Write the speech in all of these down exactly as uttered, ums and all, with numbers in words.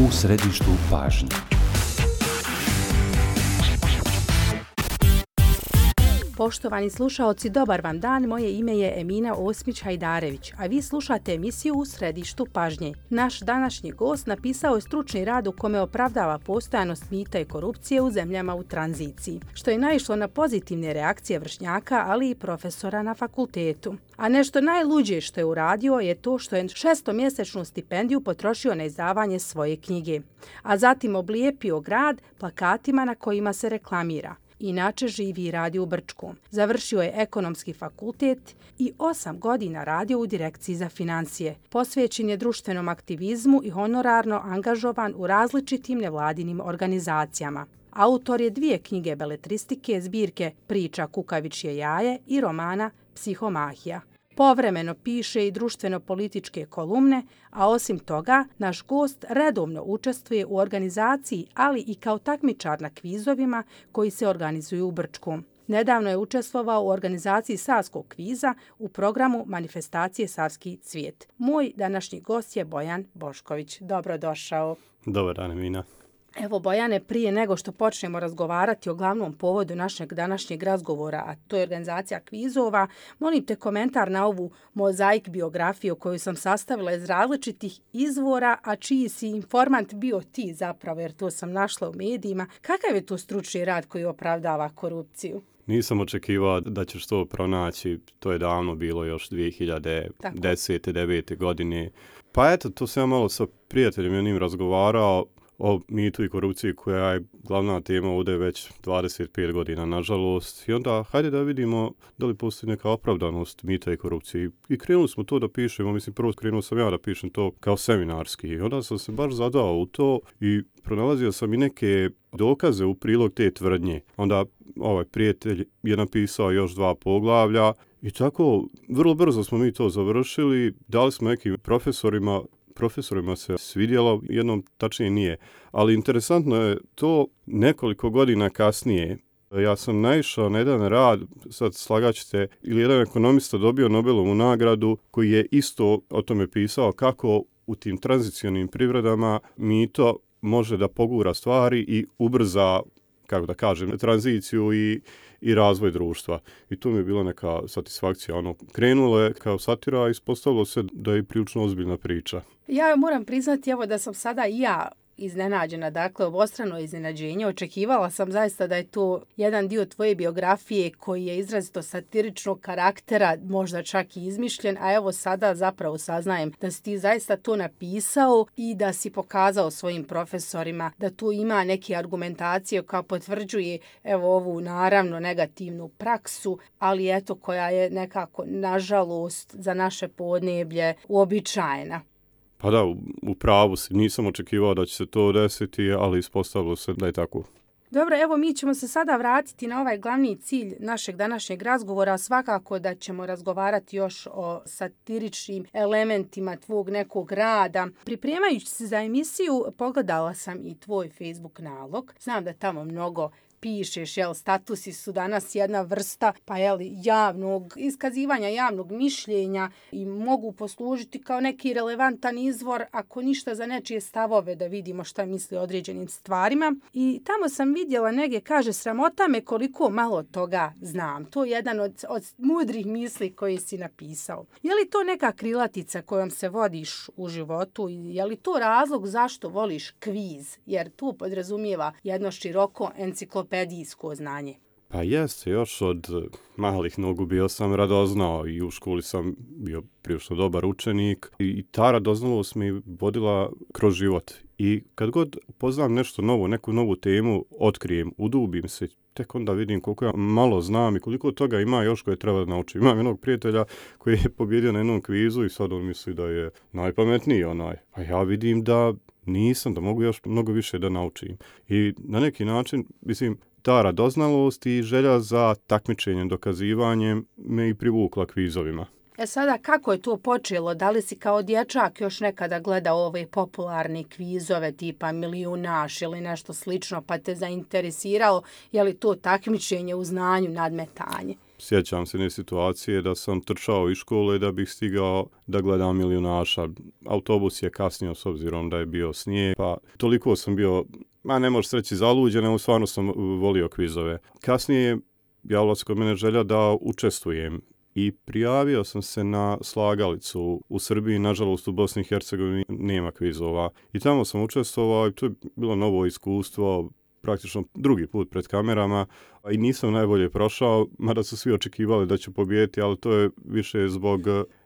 U središtu pažnje. Poštovani slušaoci, dobar vam dan. Moje ime je Emina Osmić-Hajdarević, a vi slušate emisiju U središtu pažnje. Naš današnji gost napisao je stručni rad u kome opravdava postojanost mita i korupcije u zemljama u tranziciji, što je naišlo na pozitivne reakcije vršnjaka, ali i profesora na fakultetu. A nešto najluđe što je uradio je to što je šestomjesečnu stipendiju potrošio na izdavanje svoje knjige, a zatim oblijepio grad plakatima na kojima se reklamira. Inače živi i radi u Brčkom. Završio je ekonomski fakultet i osam godina radio u direkciji za financije. Posvećen je društvenom aktivizmu i honorarno angažovan u različitim nevladinim organizacijama. Autor je dvije knjige beletristike, zbirke Priča kukavičje jaje i romana Psihomahija. Povremeno piše i društveno-političke kolumne, a osim toga, naš gost redovno učestvuje u organizaciji, ali i kao takmičar na kvizovima koji se organizuju u Brčkom. Nedavno je učestvovao u organizaciji Savskog kviza u programu Manifestacije Savski cvijet. Moj današnji gost je Bojan Bošković. Dobrodošao. Dobar dan, Emina. Evo, Bojane, prije nego što počnemo razgovarati o glavnom povodu našeg današnjeg razgovora, a to je organizacija kvizova, molim te komentar na ovu mozaik biografiju koju sam sastavila iz različitih izvora, a čiji si informant bio ti zapravo, jer to sam našla u medijima. Kakav je to stručni rad koji opravdava korupciju? Nisam očekivao da ćeš to pronaći, to je davno bilo još dvije hiljade desete. devete godine. Pa eto, to sam ja malo sa prijateljem jednim razgovarao o mitu i korupciji koja je glavna tema ovdje već dvadeset pet godina, nažalost. I onda, hajde da vidimo da li postoji neka opravdanost mita i korupcije. I krenuli smo to da pišemo, mislim, prvo krenuo sam ja da pišem to kao seminarski. I onda sam se baš zadao u to i pronalazio sam i neke dokaze u prilog te tvrdnje. Onda ovaj prijatelj je napisao još dva poglavlja i tako vrlo brzo smo mi to završili. Dali smo nekim profesorima profesorima se svidjelo, jednom tačnije nije. Ali interesantno je to, nekoliko godina kasnije ja sam naišao na jedan rad, sad slagaćete, ili jedan ekonomista dobio Nobelovu nagradu koji je isto o tome pisao kako u tim tranzicionim privredama mito može da pogura stvari i ubrza, kako da kažem, tranziciju i i razvoj društva. I to mi je bila neka satisfakcija. Ono, krenulo je kao satira, a ispostavilo se da je prilično ozbiljna priča. Ja moram priznati evo da sam sada i ja iznenađena, dakle obostrano iznenađenje. Očekivala sam zaista da je to jedan dio tvoje biografije koji je izrazito satiričnog karaktera, možda čak i izmišljen, a evo sada zapravo saznajem da si ti zaista to napisao i da si pokazao svojim profesorima da tu ima neke argumentacije koja potvrđuje evo ovu naravno negativnu praksu, ali eto koja je nekako nažalost za naše podneblje uobičajena. Pa da, u, u pravu si. Nisam očekivao da će se to desiti, ali ispostavilo se da je tako. Dobro, evo mi ćemo se sada vratiti na ovaj glavni cilj našeg današnjeg razgovora. Svakako da ćemo razgovarati još o satiričnim elementima tvog nekog rada. Pripremajući se za emisiju, pogledala sam i tvoj Facebook nalog. Znam da tamo mnogo pišeš, jel, statusi su danas jedna vrsta, pa jel, javnog iskazivanja, javnog mišljenja i mogu poslužiti kao neki relevantan izvor, ako ništa za nečije stavove, da vidimo šta misli o određenim stvarima. I tamo sam vidjela negdje, kaže, sramota me koliko malo toga znam. To je jedan od, od mudrih misli koji si napisao. Je li to neka krilatica kojom se vodiš u životu? Je li to razlog zašto voliš kviz? Jer tu podrazumijeva jedno široko enciklopedijsko pedijsko znanje. Pa jeste, još od malih nogu bio sam radoznao i u školi sam bio prilično dobar učenik i ta radoznalost mi vodila kroz život. I kad god poznam nešto novo, neku novu temu, otkrijem, udubim se, tek onda vidim koliko ja malo znam i koliko toga ima još koje treba da naučim. Imam jednog prijatelja koji je pobjedio na jednom kvizu i sad on misli da je najpametniji onaj. A ja vidim da nisam, da mogu još mnogo više da naučim. I na neki način, mislim, ta radoznalost i želja za takmičenjem, dokazivanjem me i privukla kvizovima. E sada, kako je to počelo? Da li si kao dječak još nekada gledao ove popularne kvizove tipa Milijunaš ili nešto slično pa te zainteresiralo? Je li to takmičenje u znanju, nadmetanje? sjećam se jedne situacije da sam trčao iz škole da bih stigao da gledam Milijunaša. Autobus je kasnio s obzirom da je bio snijeg, pa toliko sam bio, ma ne možeš reći zaluđen, nego stvarno sam volio kvizove. Kasnije javila se kod mene želja da učestvujem i prijavio sam se na slagalicu u Srbiji, nažalost u Bosni i Hercegovini nema kvizova. I tamo sam učestvovao i to je bilo novo iskustvo, praktično drugi put pred kamerama i nisam najbolje prošao, mada su svi očekivali da ću pobijediti, ali to je više zbog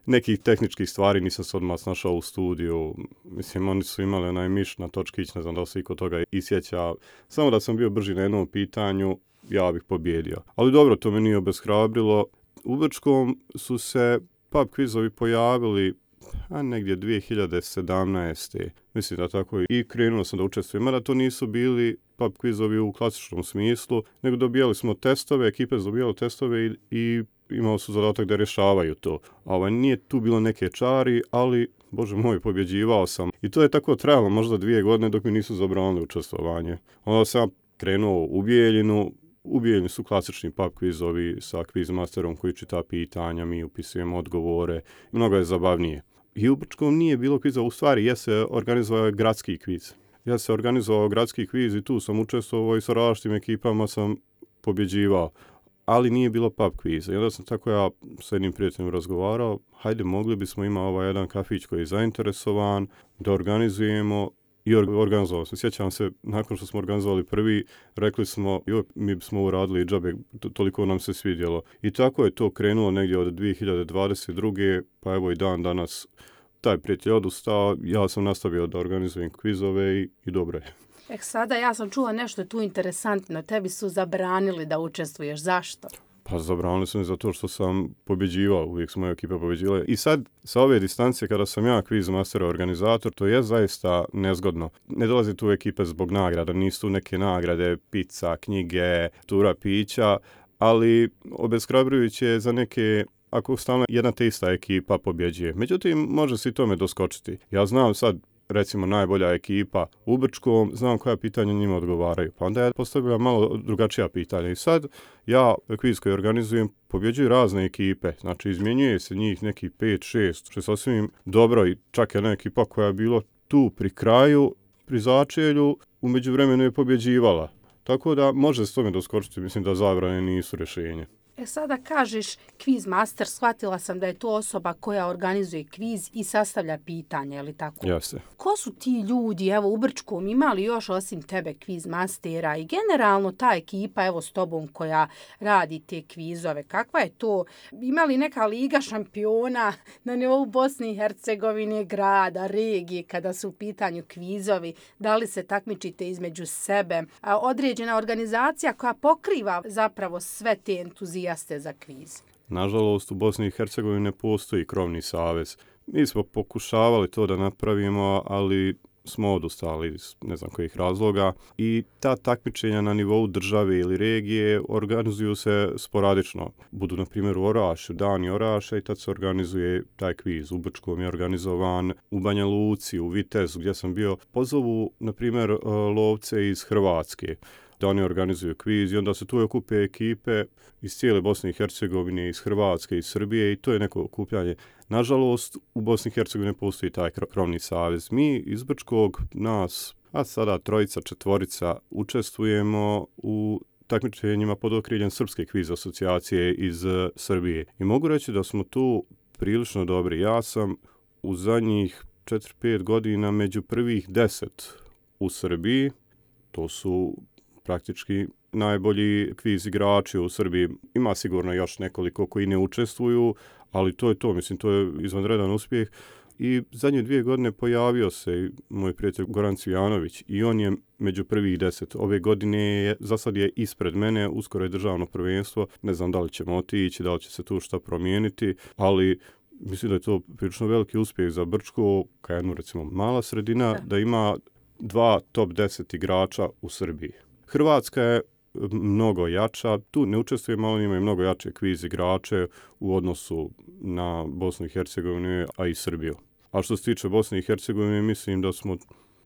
nekih tehničkih stvari, nisam se odmah snašao u studiju. Mislim, oni su imali onaj miš na točkić, ne znam da li se iko toga isjeća. Samo da sam bio brži na jednom pitanju, ja bih pobjedio. Ali dobro, to me nije obeshrabrilo. U Brčkom su se pub kvizovi pojavili a negdje dvije hiljade sedamnaeste. Mislim da tako je. I krenuo sam da učestvujem. Mada to nisu bili pub kvizovi u klasičnom smislu, nego dobijali smo testove, ekipe su dobijali testove i, i imali su zadatak da rješavaju to. A ovaj, nije tu bilo neke čari, ali, bože moj, pobjeđivao sam. I to je tako trajalo možda dvije godine dok mi nisu zabranili učestvovanje. Onda sam krenuo u Bijeljinu. U Bijeljini su klasični pub kvizovi sa quizmasterom koji čita pitanja, mi upisujemo odgovore. Mnogo je zabavnije. I u Brčkom nije bilo kviza, u stvari ja se organizovao gradski kviz. Ja se organizovao gradski kviz i tu sam učestvovao i sa različitim ekipama sam pobjeđivao, ali nije bilo pub kviza. I onda sam tako ja sa jednim prijateljem razgovarao, hajde mogli bismo imati ovaj jedan kafić koji je zainteresovan, da organizujemo i organizovao sam. Sjećam se, nakon što smo organizovali prvi, rekli smo, joj, mi smo uradili i džabe, toliko nam se svidjelo. I tako je to krenulo negdje od dvije hiljade dvadeset druge pa evo i dan danas taj prijatelj odustao, ja sam nastavio da organizujem kvizove i, i dobro je. E sada ja sam čula nešto tu interesantno, tebi su zabranili da učestvuješ, zašto? Pa zabranili su mi zato što sam pobjeđivao, uvijek su moje ekipe pobjeđivale. I sad, sa ove distance, kada sam ja quizmaster organizator, to je zaista nezgodno. Ne dolazi tu ekipe zbog nagrada, nisu tu neke nagrade, pizza, knjige, tura pića, ali obeshrabrujuće je za neke, ako stalno jedna te ista ekipa pobjeđuje. Međutim, može se i tome doskočiti. Ja znam sad, recimo najbolja ekipa u Brčkom, znam koja pitanja njima odgovaraju. Pa onda ja postavljam malo drugačija pitanja. I sad ja kviz koji organizujem pobjeđuju razne ekipe. Znači izmjenjuje se njih neki pet šest, što je sasvim dobro i čak jedna ekipa koja je bila tu pri kraju, pri začelju, u međuvremenu je pobjeđivala. Tako da može se tome doskočiti, mislim da zabrane nisu rješenje. E sada kažeš kviz master, shvatila sam da je to osoba koja organizuje kviz i sastavlja pitanja, je li tako? Jeste. Ko su ti ljudi, evo u Brčkom, imali još osim tebe kviz mastera i generalno ta ekipa, evo s tobom koja radi te kvizove, kakva je to? Imali neka liga šampiona na nivou Bosne i Hercegovine, grada, regije, kada su u pitanju kvizovi, da li se takmičite između sebe? A određena organizacija koja pokriva zapravo sve te entuzije jaste za kviz. Nažalost, u Bosni i Hercegovini ne postoji krovni savez. Mi smo pokušavali to da napravimo, ali smo odustali iz ne znam kojih razloga. I ta takmičenja na nivou države ili regije organizuju se sporadično. Budu, na primjer, u Orašu, dani Oraša i tad se organizuje taj kviz. U Brčkom je organizovan, u Banja Luci, u Vitezu, gdje sam bio. Pozovu, na primjer, lovce iz Hrvatske da oni organizuju kviz i onda se tu okupe ekipe iz cijele Bosne i Hercegovine, iz Hrvatske, iz Srbije i to je neko okupljanje. Nažalost, u Bosni i Hercegovini postoji taj krovni savez. Mi iz Brčkog, nas, a sada trojica, četvorica, učestvujemo u takmičenjima pod okriljem Srpske kviz asocijacije iz Srbije. I mogu reći da smo tu prilično dobri. Ja sam u zadnjih četiri pet godina među prvih deset u Srbiji. To su praktički najbolji kviz igrači u Srbiji. Ima sigurno još nekoliko koji ne učestvuju, ali to je to, mislim, to je izvanredan uspjeh. I zadnje dvije godine pojavio se moj prijatelj Goran Cvijanović i on je među prvih deset. Ove godine je, za sad je ispred mene, uskoro je državno prvenstvo. Ne znam da li ćemo otići, da li će se tu šta promijeniti, ali mislim da je to prilično veliki uspjeh za Brčko, kao jednu recimo mala sredina, da, da ima dva top deset igrača u Srbiji. Hrvatska je mnogo jača, tu ne učestvujemo, ali imaju mnogo jače kviz igrače u odnosu na Bosnu i Hercegovinu, a i Srbiju. A što se tiče Bosne i Hercegovine, mislim da smo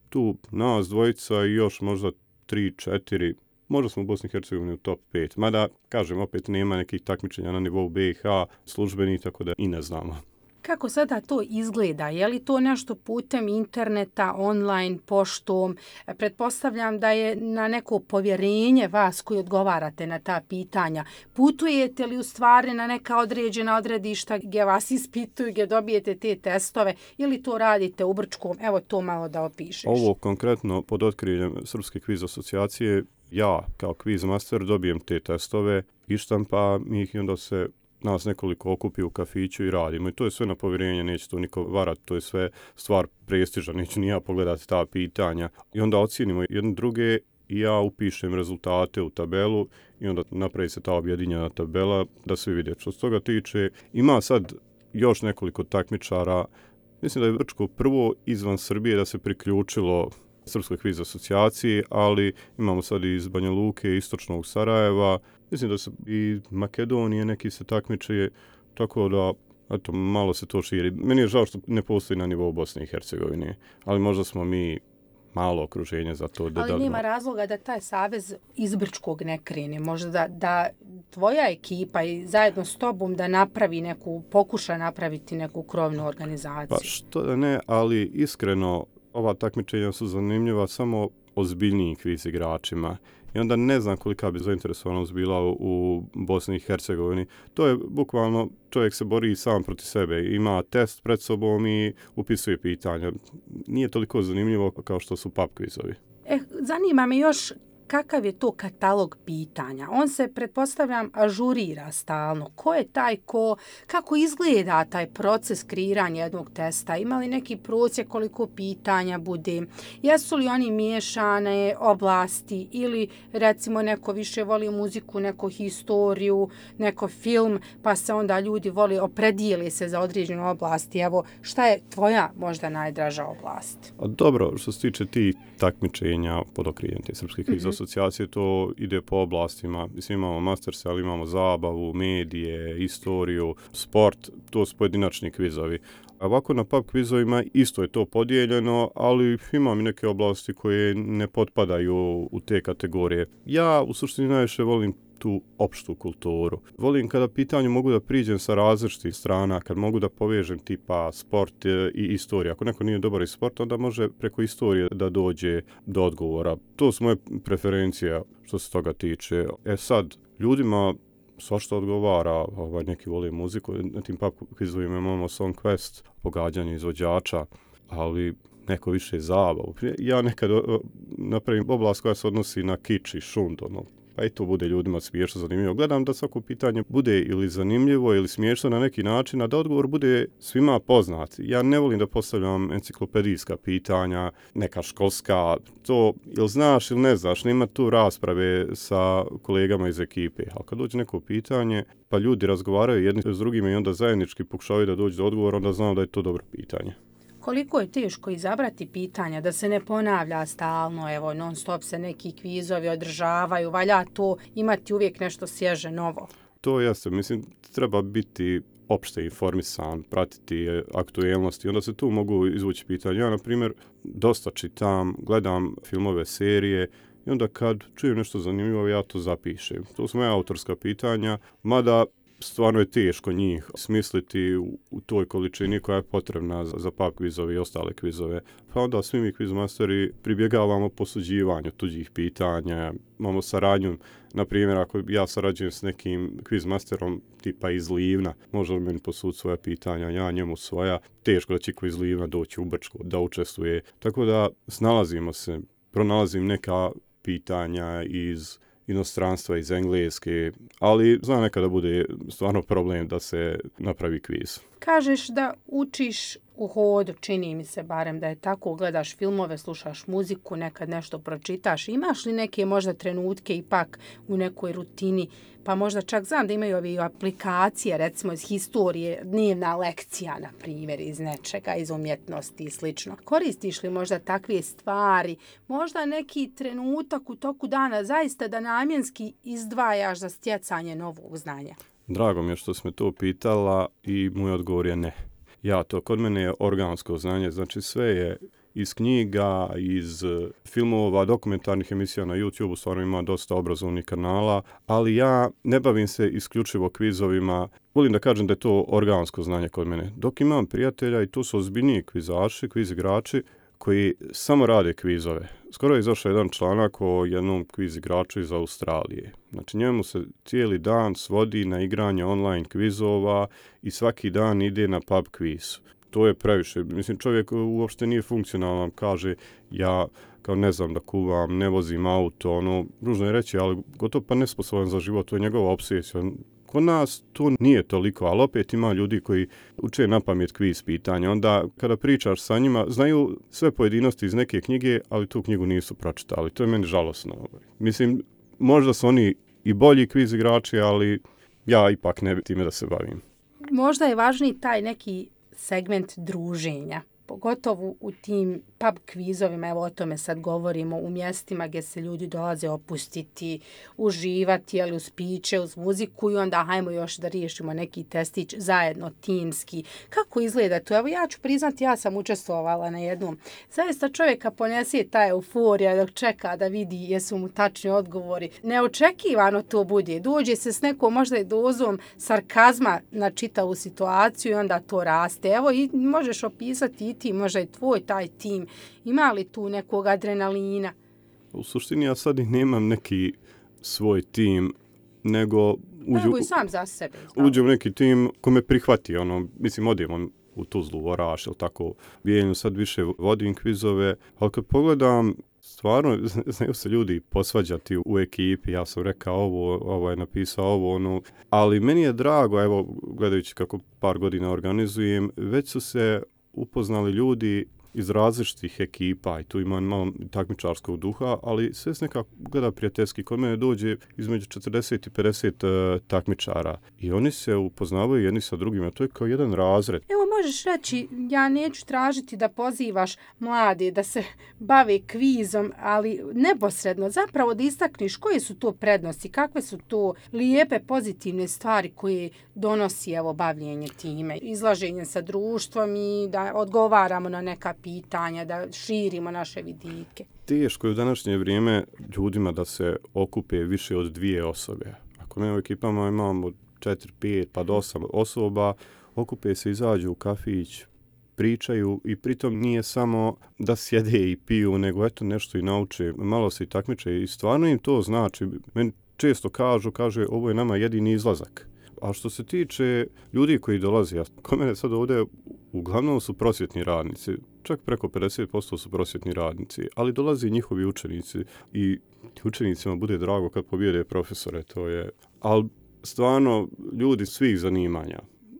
tu nas dvojica i još možda tri, četiri možda smo u Bosni i Hercegovini u top pet. Mada, kažem, opet nema nekih takmičenja na nivou B i H službeni, tako da i ne znamo. Kako sada to izgleda? Je li to nešto putem interneta, online, poštom? Pretpostavljam da je na neko povjerenje vas koji odgovarate na ta pitanja. Putujete li u stvari na neka određena odredišta gdje vas ispituju, gdje dobijete te testove ili to radite u Brčkom? Evo to malo da opišeš. Ovo konkretno pod otkriljem Srpske kviz asocijacije, ja kao kviz master dobijem te testove, ištampam ih i onda se nas nekoliko okupi u kafiću i radimo. I to je sve na povjerenje, neće to niko varati, to je sve stvar prestiža, neću ni ja pogledati ta pitanja. I onda ocijenimo jedne druge i ja upišem rezultate u tabelu i onda napravi se ta objedinjena tabela da svi vide. Što se toga tiče, ima sad još nekoliko takmičara. Mislim da je Brčko prvo izvan Srbije da se priključilo Srpskoj kviz asocijaciji, ali imamo sad i iz Banja Luke, istočnog Sarajeva, mislim da se i Makedonije neki se takmiče, tako da eto, malo se to širi. Meni je žao što ne postoji na nivou Bosne i Hercegovine, ali možda smo mi malo okruženje za to. Da, ali da, nema razloga da taj savez iz Brčkog ne krene. Možda da, da tvoja ekipa i zajedno s tobom da napravi neku, pokuša napraviti neku krovnu organizaciju. Pa što da ne, ali iskreno ova takmičenja su zanimljiva samo ozbiljnijim kviz igračima. I onda ne znam kolika bi zainteresovanost bila u, u Bosni i Hercegovini. To je bukvalno, čovjek se bori sam protiv sebe. Ima test pred sobom i upisuje pitanja. Nije toliko zanimljivo kao što su pub kvizovi. Eh, zanima me još kakav je to katalog pitanja. On se, pretpostavljam, ažurira stalno. Ko je taj ko, kako izgleda taj proces kreiranja jednog testa? Ima li neki prosjek koliko pitanja bude? Jesu li oni miješane oblasti ili recimo neko više voli muziku, neko historiju, neko film, pa se onda ljudi voli opredijeli se za određenu oblasti. Evo, šta je tvoja možda najdraža oblast? A dobro, što se tiče ti takmičenja pod okriljem te Srpske kviz asocijacije, to ide po oblastima. Mislim, imamo masterse, ali imamo zabavu, medije, istoriju, sport, to su pojedinačni kvizovi. A ovako na pub kvizovima isto je to podijeljeno, ali imam i neke oblasti koje ne potpadaju u te kategorije. Ja u suštini najviše volim tu opštu kulturu. Volim kada pitanju mogu da priđem sa različitih strana, kad mogu da povežem tipa sport i istoriju. Ako neko nije dobar iz sporta, onda može preko istorije da dođe do odgovora. To su moje preferencije što se toga tiče. E sad, ljudima svašta odgovara, ovaj, neki vole muziku, na tim pub kvizovima imamo Song Quest, pogađanje izvođača, ali neko više zabavu. Ja nekad napravim oblast koja se odnosi na kič i šund, ono, pa i to bude ljudima smiješno, zanimljivo. Gledam da svako pitanje bude ili zanimljivo ili smiješno na neki način, a da odgovor bude svima poznat. Ja ne volim da postavljam enciklopedijska pitanja, neka školska, to ili znaš ili ne znaš, nema tu rasprave sa kolegama iz ekipe. Ali kad dođe neko pitanje, pa ljudi razgovaraju jedni s drugima i onda zajednički pokušavaju da dođu do odgovora, onda znam da je to dobro pitanje. Koliko je teško izabrati pitanja, da se ne ponavlja stalno, evo, non stop se neki kvizovi održavaju, valja to imati uvijek nešto svježe, novo? To jeste, mislim, treba biti opšte informisan, pratiti aktuelnosti, onda se tu mogu izvući pitanja. Ja, na primjer, dosta čitam, gledam filmove, serije, i onda kad čujem nešto zanimljivo, ja to zapišem. To su moja autorska pitanja, mada stvarno je teško njih smisliti u, u toj količini koja je potrebna za, za pub kvizove i ostale kvizove. Pa onda svi mi kvizmasteri pribjegavamo posuđivanju tuđih pitanja, imamo saradnju, na primjer ako ja sarađujem s nekim kvizmasterom tipa iz Livna, može li meni posuditi svoja pitanja, ja njemu svoja, teško da će ko iz Livna doći u Brčko da učestvuje. Tako da snalazimo se, pronalazim neka pitanja iz inostranstva, iz Engleske, ali zna nekada bude stvarno problem da se napravi kviz. Kažeš da učiš u hodu, čini mi se barem da je tako, gledaš filmove, slušaš muziku, nekad nešto pročitaš. Imaš li neke možda trenutke ipak u nekoj rutini, pa možda čak znam da imaju ove aplikacije, recimo iz historije, dnevna lekcija, na primjer, iz nečega, iz umjetnosti i slično. Koristiš li možda takve stvari, možda neki trenutak u toku dana zaista da namjenski izdvajaš za stjecanje novog znanja? Drago mi je što si me to pitala i moj odgovor je ne. Ja, to kod mene je organsko znanje, znači sve je iz knjiga, iz filmova, dokumentarnih emisija na YouTube, stvarno ima dosta obrazovnih kanala, ali ja ne bavim se isključivo kvizovima. Volim da kažem da je to organsko znanje kod mene. Dok imam prijatelja i tu su ozbiljniji kvizaši, kviz igrači, koji samo rade kvizove. Skoro je izašao jedan članak o jednom kviz igraču iz Australije. Znači njemu se cijeli dan svodi na igranje online kvizova i svaki dan ide na pub kviz. To je previše. Mislim, čovjek uopšte nije funkcionalan, kaže ja kao ne znam da kuvam, ne vozim auto, ono, ružno je reći, ali gotovo pa nesposoban za život, to je njegova obsesija. Kod nas to nije toliko, ali opet ima ljudi koji uče na pamet kviz pitanja. Onda kada pričaš sa njima, znaju sve pojedinosti iz neke knjige, ali tu knjigu nisu pročitali. To je meni žalosno. Mislim, možda su oni i bolji kviz igrači, ali ja ipak ne bi time da se bavim. Možda je važniji taj neki segment druženja, pogotovo u tim pub kvizovima, evo o tome sad govorimo, u mjestima gdje se ljudi dolaze opustiti, uživati, ali uz piće, uz muziku i onda hajmo još da riješimo neki testić zajedno, timski. Kako izgleda to? Evo ja ću priznati, ja sam učestvovala na jednom. Zaista čovjeka ponese ta euforija dok čeka da vidi jesu mu tačni odgovori. Neočekivano to bude. Dođe se s nekom možda i dozom sarkazma na čitavu situaciju i onda to raste. Evo i možeš opisati i ti, možda i tvoj taj tim. Ima li tu nekog adrenalina? U suštini ja sad i nemam neki svoj tim, nego uđu, i sam za sebe. Uđem u neki tim ko me prihvati. Ono, mislim, odem u Tuzlu, Oraš, ili tako, Bijeljnu, sad više vodim kvizove, ali kad pogledam, stvarno, znaju se ljudi posvađati u ekipi, ja sam rekao ovo, ovo je napisao ovo, ono, ali meni je drago, evo, gledajući kako par godina organizujem, već su se upoznali ljudi iz različitih ekipa i tu ima malo takmičarskog duha, ali sve se nekako gleda prijateljski. Kod mene dođe između četrdeset i pedeset uh, takmičara i oni se upoznavaju jedni sa drugima. To je kao jedan razred. Evo možeš reći, ja neću tražiti da pozivaš mlade da se bave kvizom, ali neposredno zapravo da istakniš koje su to prednosti, kakve su to lijepe, pozitivne stvari koje donosi evo bavljenje time, izlaženje sa društvom i da odgovaramo na neka pitanja, da širimo naše vidike. Teško je u današnje vrijeme ljudima da se okupe više od dvije osobe. Ako mi u ekipama imamo četiri, pet, pa do osam osoba, okupe se, izađu u kafić, pričaju i pritom nije samo da sjede i piju, nego eto nešto i nauče, malo se i takmiče i stvarno im to znači. Meni često kažu, kaže ovo je nama jedini izlazak. A što se tiče ljudi koji dolaze, ja, kod mene sad ovdje uglavnom su prosvjetni radnici, čak preko pedeset posto su prosvjetni radnici, ali dolaze i njihovi učenici i učenicima bude drago kad pobjede profesore, to je, ali stvarno ljudi svih zanimanja.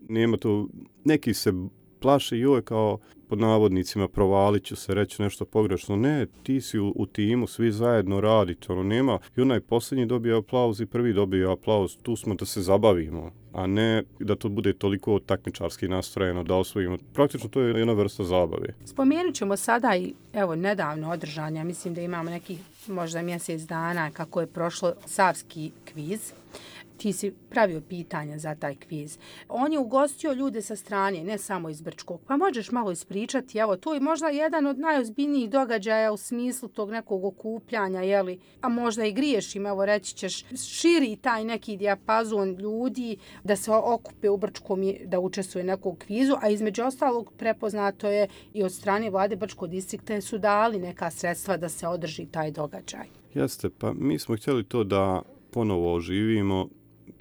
Nema to, neki se plaše joj kao pod navodnicima provalit ću se, reći nešto pogrešno. Ne, ti si u, u timu, svi zajedno radite, ono nema. I onaj posljednji dobije aplauz i prvi dobije aplauz. Tu smo da se zabavimo, a ne da to bude toliko takmičarski nastrojeno, da osvojimo. Praktično to je jedna vrsta zabave. Spomenut ćemo sada i evo nedavno održanja, mislim da imamo nekih možda mjesec dana kako je prošlo savski kviz. Ti si pravio pitanja za taj kviz. On je ugostio ljude sa strane, ne samo iz Brčkog. Pa možeš malo ispričati, evo, to je možda jedan od najozbiljnijih događaja u smislu tog nekog okupljanja, jeli, a možda i griješim, evo reći ćeš, širi taj neki dijapazon ljudi da se okupe u Brčkom da učestvuje nekog kvizu, a između ostalog prepoznato je i od strane vlade Brčkog distrikta su dali neka sredstva da se održi taj događaj. Jeste, pa mi smo htjeli to da ponovo oživimo.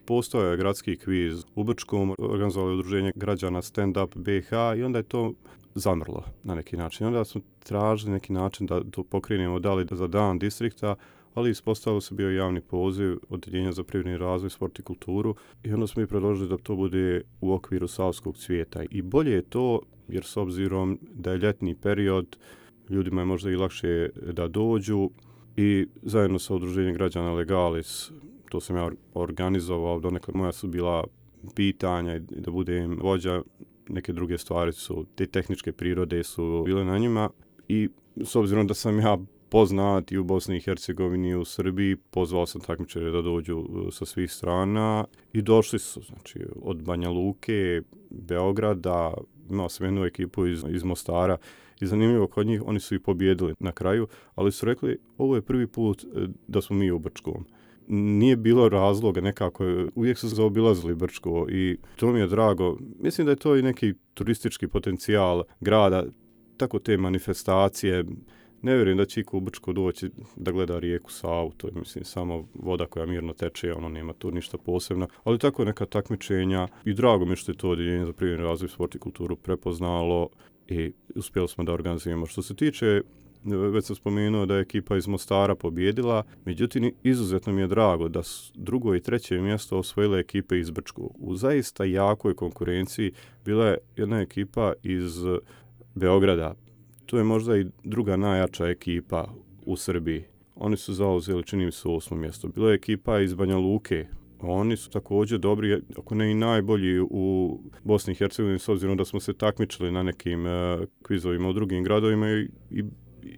Postojao je gradski kviz u Brčkom, organizovalo je udruženje građana Stand Up B H i onda je to zamrlo na neki način. Onda smo tražili neki način da to pokrenemo, dali za dan distrikta, ali ispostavilo se bio javni poziv Odeljenja za privredni razvoj, sport i kulturu i onda smo i predložili da to bude u okviru Savskog cvijeta. I bolje je to jer s obzirom da je ljetni period, ljudima je možda i lakše da dođu i zajedno sa udruženjem građana Legalis, to sam ja organizovao, donekle moja su bila pitanja i da budem vođa, neke druge stvari su, te tehničke prirode su bile na njima i s obzirom da sam ja poznat i u Bosni i Hercegovini i u Srbiji, pozvao sam takmičare da dođu sa svih strana i došli su, znači, od Banja Luke, Beograda, imao sam jednu ekipu iz, iz Mostara I zanimljivo kod njih, oni su i pobjedili na kraju, ali su rekli ovo je prvi put da smo mi u Brčkom. Nije bilo razloga nekako, uvijek su zaobilazili Brčko i to mi je drago. Mislim da je to i neki turistički potencijal grada, tako te manifestacije. Ne vjerujem da će iko u Brčko doći da gleda rijeku Savu, to je mislim samo voda koja mirno teče, ono nema tu ništa posebno, ali tako neka takmičenja i drago mi što je to Odjeljenje za privredni razvoj, sport i kulturu prepoznalo i uspjeli smo da organizujemo. Što se tiče, već sam spomenuo da je ekipa iz Mostara pobjedila, međutim izuzetno mi je drago da drugo i treće mjesto osvojile ekipe iz Brčkog. U zaista jakoj konkurenciji bila je jedna ekipa iz Beograda. To je možda i druga najjača ekipa u Srbiji. Oni su zauzeli, čini mi se, osmo mjesto. Bila je ekipa iz Banja Luke. Oni su također dobri, ako ne i najbolji u Bosni i Hercegovini, s obzirom da smo se takmičili na nekim uh, kvizovima u drugim gradovima i, i,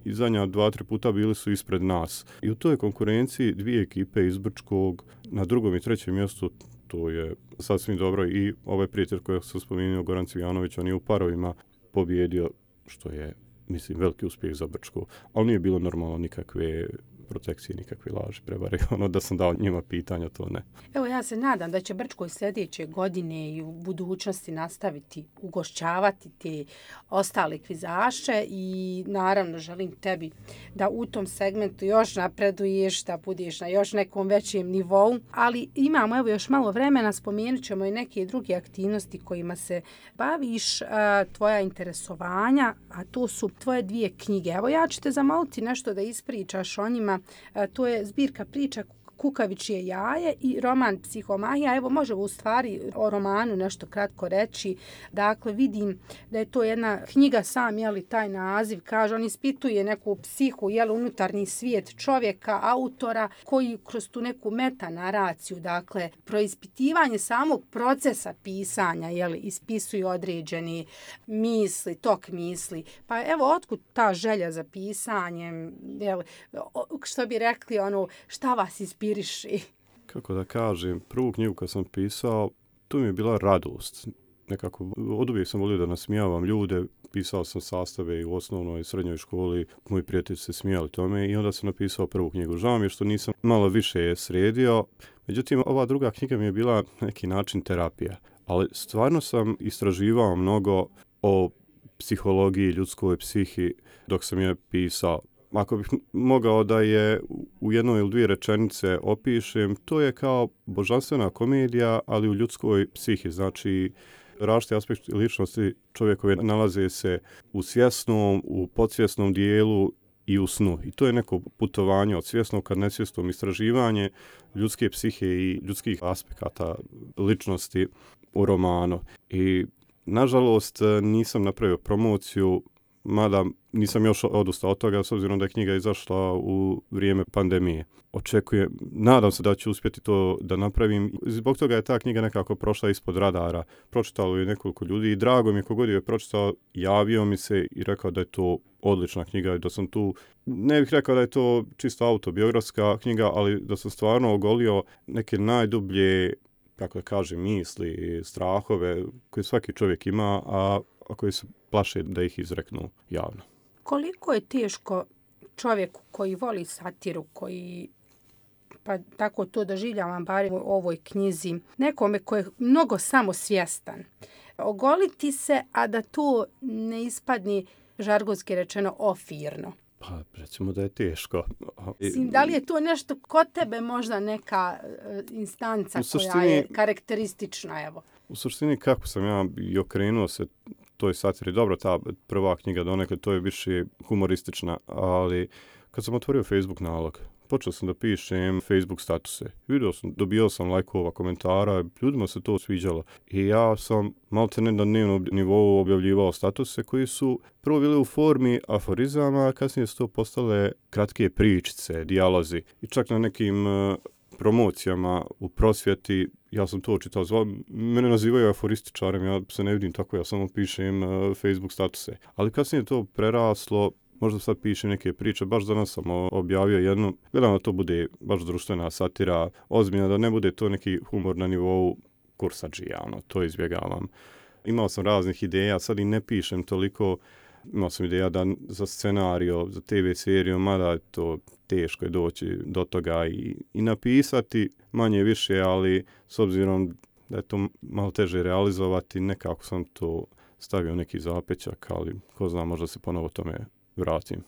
i zadnja dva, tri puta bili su ispred nas. I u toj konkurenciji dvije ekipe iz Brčkog na drugom i trećem mjestu, to je sasvim dobro. I ovaj prijatelj koji sam spomenuo, Goran Cvijanović, on je u parovima pobjedio, što je, mislim, veliki uspjeh za Brčko. Ali nije bilo normalno nikakve protekcije, nikakve laži, prevare. Ono da sam dao njima pitanja, to ne. Evo, ja se nadam da će Brčko sljedeće godine i u budućnosti nastaviti ugošćavati te ostale kvizaše i naravno želim tebi da u tom segmentu još napreduješ, da budeš na još nekom većem nivou, ali imamo evo još malo vremena, spomenut ćemo i neke druge aktivnosti kojima se baviš, tvoja interesovanja, a to su tvoje dvije knjige. Evo, ja ću te zamoliti nešto da ispričaš o njima. To je zbirka priča Kukavičje jaje i roman Psihomahija. Evo, možemo u stvari o romanu nešto kratko reći. Dakle, vidim da je to jedna knjiga, sam, jeli, taj naziv, kaže, on ispituje neku psihu, jeli, unutarnji svijet čovjeka, autora, koji kroz tu neku metanaraciju, dakle, proispitivanje samog procesa pisanja, jeli, ispisuju određeni misli, tok misli. Pa evo, otkud ta želja za pisanjem, jeli, što bi rekli, ono, šta vas ispituje? Kako da kažem, prvu knjigu kad sam pisao, tu mi je bila radost. Nekako, od uvijek sam volio da nasmijavam ljude, pisao sam sastave i u osnovnoj i srednjoj školi, moji prijatelji se smijali tome i onda sam napisao prvu knjigu. Žao mi je što nisam malo više sredio, međutim, ova druga knjiga mi je bila neki način terapija. Ali stvarno sam istraživao mnogo o psihologiji, ljudskoj psihi dok sam je pisao. Ako bih mogao da je u jednoj ili dvije rečenice opišem, to je kao božanstvena komedija, ali u ljudskoj psihi. Znači, različiti aspekti ličnosti čovjekove nalaze se u svjesnom, u podsvjesnom dijelu i u snu. I to je neko putovanje od svjesnog ka nesvjesnom, istraživanje ljudske psihe i ljudskih aspekata ličnosti u romanu. I nažalost nisam napravio promociju, mada nisam još odustao od toga, s obzirom da je knjiga izašla u vrijeme pandemije. Očekujem, nadam se da ću uspjeti to da napravim. Zbog toga je ta knjiga nekako prošla ispod radara. Pročitalo je nekoliko ljudi i drago mi je kogod je pročitao, javio mi se i rekao da je to odlična knjiga i da sam tu, ne bih rekao da je to čisto autobiografska knjiga, ali da sam stvarno ogolio neke najdublje, kako da kažem, misli, strahove koje svaki čovjek ima, a, a koji se plaše da ih izreknu javno. Koliko je teško čovjeku koji voli satiru, koji, pa tako to doživljavam bar u ovoj knjizi, nekome koji je mnogo samosvjestan, ogoliti se, a da to ne ispadne, žargonski rečeno, ofirno? Pa, recimo da je teško. Sim, da li je to nešto kod tebe možda neka instanca suštini, koja je karakteristična, evo? U suštini, kako sam ja i okrenuo se toj satiri, dobro, ta prva knjiga donekle, to je više humoristična, ali kad sam otvorio Facebook nalog, počeo sam da pišem Facebook statuse. Vidio sam, dobio sam lajkova, komentara, ljudima se to sviđalo. I ja sam malte ne na dnevnom nivou objavljivao statuse koji su prvo bili u formi aforizama, a kasnije su to postale kratke pričice, dijalozi. I čak na nekim uh, promocijama u prosvjeti, ja sam to čitao, zva, mene nazivaju aforističarem, ja se ne vidim tako, ja samo pišem uh, Facebook statuse. Ali kasnije to preraslo, možda sad pišem neke priče, baš danas sam objavio jednu, gledam da to bude baš društvena satira, ozbiljna, da ne bude to neki humor na nivou kursadžija, ono, to izbjegavam. Imao sam raznih ideja, sad i ne pišem toliko Imao sam ideja da za scenario, za te ve seriju, mada to teško je doći do toga i, i napisati manje više, ali s obzirom da je to malo teže realizovati, nekako sam to stavio neki zapečak, ali ko zna, možda se ponovo tome vratim.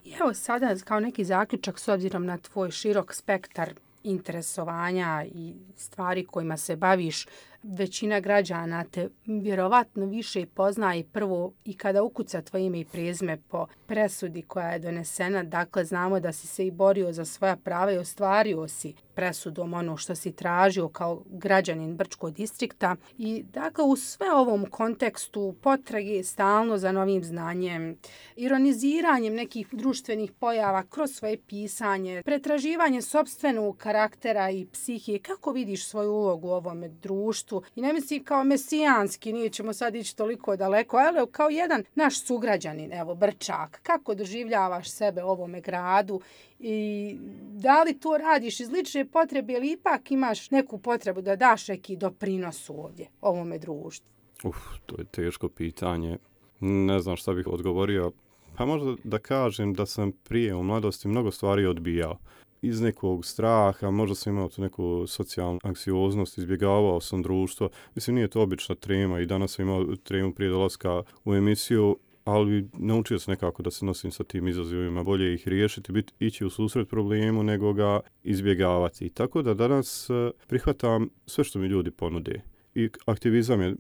I evo sada kao neki zaključak s obzirom na tvoj širok spektar interesovanja i stvari kojima se baviš, većina građana te vjerovatno više poznaje prvo i kada ukuca tvoje ime i prezime po presudi koja je donesena. Dakle, znamo da si se i borio za svoja prava i ostvario si presudom ono što si tražio kao građanin Brčkog distrikta. I dakle, u sve ovom kontekstu potrage stalno za novim znanjem, ironiziranjem nekih društvenih pojava kroz svoje pisanje, pretraživanje sopstvenog karaktera i psihije, kako vidiš svoju ulogu u ovome društvu? I ne mislim kao mesijanski, nije ćemo sad ići toliko daleko, ali kao jedan naš sugrađanin, evo, Brčak, kako doživljavaš sebe u ovome gradu i da li to radiš iz lične potrebe ili ipak imaš neku potrebu da daš neki doprinos ovdje, ovome društvu? Uf, to je teško pitanje. Ne znam šta bih odgovorio. Pa možda da kažem da sam prije u mladosti mnogo stvari odbijao. Iz nekog straha, možda sam imao tu neku socijalnu anksioznost, izbjegavao sam društvo. Mislim, nije to obična trema i danas sam imao tremu prije dolaska u emisiju, ali naučio sam nekako da se nosim sa tim izazovima, bolje ih riješiti, biti, ići u susret problemu nego ga izbjegavati. Tako da danas prihvatam sve što mi ljudi ponude. I aktivizam je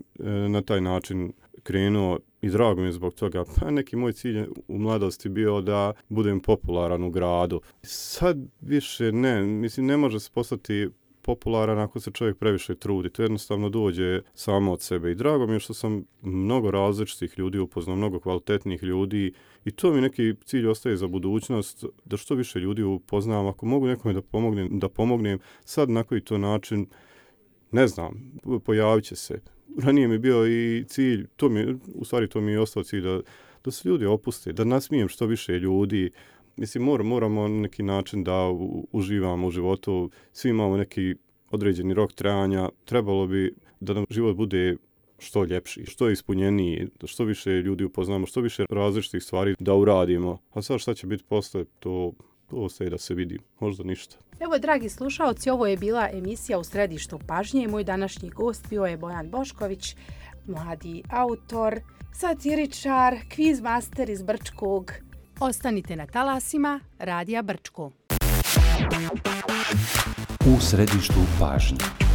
na taj način krenuo i drago mi je zbog toga. Pa neki moj cilj u mladosti bio da budem popularan u gradu. Sad više ne, mislim ne može se postati popularan ako se čovjek previše trudi. To jednostavno dođe samo od sebe. I drago mi je što sam mnogo različitih ljudi upoznao, mnogo kvalitetnih ljudi i to mi neki cilj ostaje za budućnost, da što više ljudi upoznam. Ako mogu nekome da pomognem, da pomognem sad na koji to način, ne znam, pojavit će se. Ranije mi bio i cilj, to mi, u stvari to mi je ostao cilj da, da se ljudi opuste, da nasmijem što više ljudi. Mislim, mor, moramo na neki način da u, uživamo u životu, svi imamo neki određeni rok trajanja, trebalo bi da nam život bude što ljepši, što ispunjeniji, da što više ljudi upoznamo, što više različitih stvari da uradimo. A sad šta će biti posle, to, to ostaje da se vidi, možda ništa. Evo, dragi slušaoci, ovo je bila emisija U središtu pažnje. Moj današnji gost bio je Bojan Bošković, mladi autor, satiričar, kviz master iz Brčkog. Ostanite na talasima Radija Brčko. U središtu pažnje.